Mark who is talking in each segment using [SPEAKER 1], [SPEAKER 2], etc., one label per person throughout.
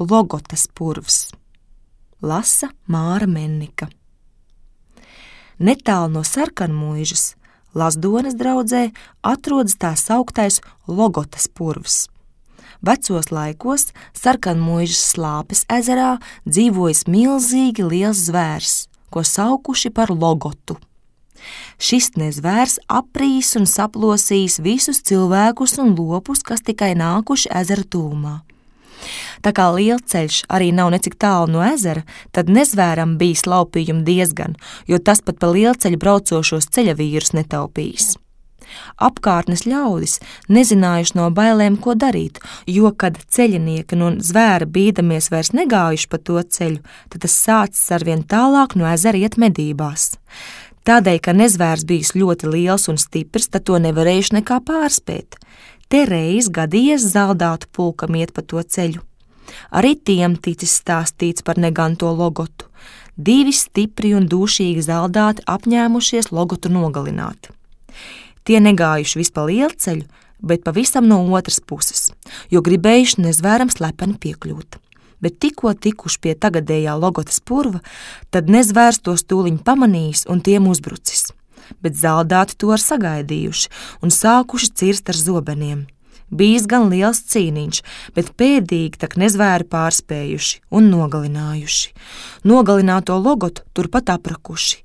[SPEAKER 1] Logotas purvs. Lasa Māra Mennika. Netālu no Sarkanmuižas, Lazdones draudzē, atrodas tā sauktais Logotas purvs. Vecos laikos Sarkanmuižas Slāpes ezerā dzīvojis milzīgi liels zvērs, ko saukuši par Logotu. Šis nezvērs aprīs un saplosīs visus cilvēkus un lopus, kas tikai nākuši ezera tūmā. Tā kā lielceļš arī nav necik tālu no ezera, tad nezvēram bijis laupījumi diezgan, jo tas pat pa lielceļu braucošos ceļavīrus netaupījis. Apkārtnes ļaudis nezinājuši no bailēm, ko darīt, jo, kad ceļinieki no zvēra bīdamies vairs negājuši pa to ceļu, tad tas sācis arvien tālāk no ezera iet medībās. Tādēļ, ka nezvērs bijis ļoti liels un stiprs, tad to nevarējuši nekā pārspēt. Te reiz gadījies zaldātu pulkam iet pa to ceļu. Arī tiem ticis stāstīts par neganto Logotu. 2 stipri un dūšīgi zaldāti apņēmušies Logotu nogalināt. Tie negājuši vis pa lielceļu, bet pavisam no otras puses, jo gribējuši nezvēram slepeni piekļūt. Bet tikko tikuši pie tagadējā Logotas purva, tad nezvērs tos tūliņ pamanījis un tiem uzbrucis. Bet zaldāti to ar sagaidījuši un sākuši cirst ar zobeniem. Bijis gan liels cīniņš, bet pēdīgi tak nezvēri pārspējuši un nogalinājuši. Nogalināto Logotu turpat aprakuši.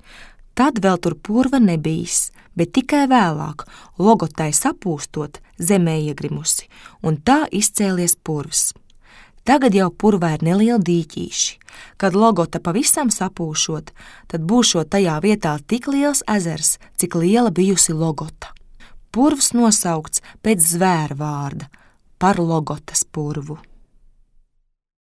[SPEAKER 1] Tad vēl tur purva nebijis, bet tikai vēlāk Logotai sapūstot zemē iegrimusi, un tā izcēlies purvs. Tagad jau purvā ir nelieli dīķīši. Kad Logota pavisam sapūšot, tad būšot tajā vietā tik liels ezers, cik liela bijusi Logota. Purvs nosaukts pēc zvēra vārda par Logotas purvu.